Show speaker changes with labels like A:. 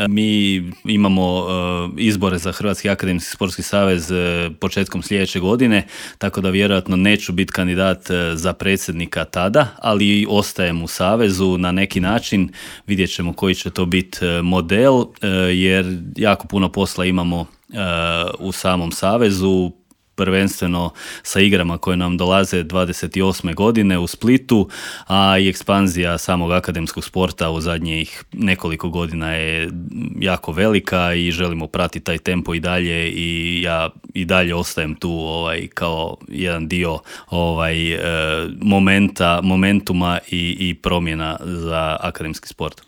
A: Mi imamo izbore za Hrvatski akademski sportski savez početkom sljedeće godine, tako da vjerojatno neću biti kandidat za predsjednika tada, ali ostajem u savezu na neki način. Vidjet ćemo koji će to biti model, jer jako puno posla imamo u samom savezu, prvenstveno sa igrama koje nam dolaze 28. godine u Splitu, a i ekspanzija samog akademskog sporta u zadnjih nekoliko godina je jako velika i želimo pratiti taj tempo i dalje, i ja i dalje ostajem tu kao jedan dio momentuma i promjena za akademski sport.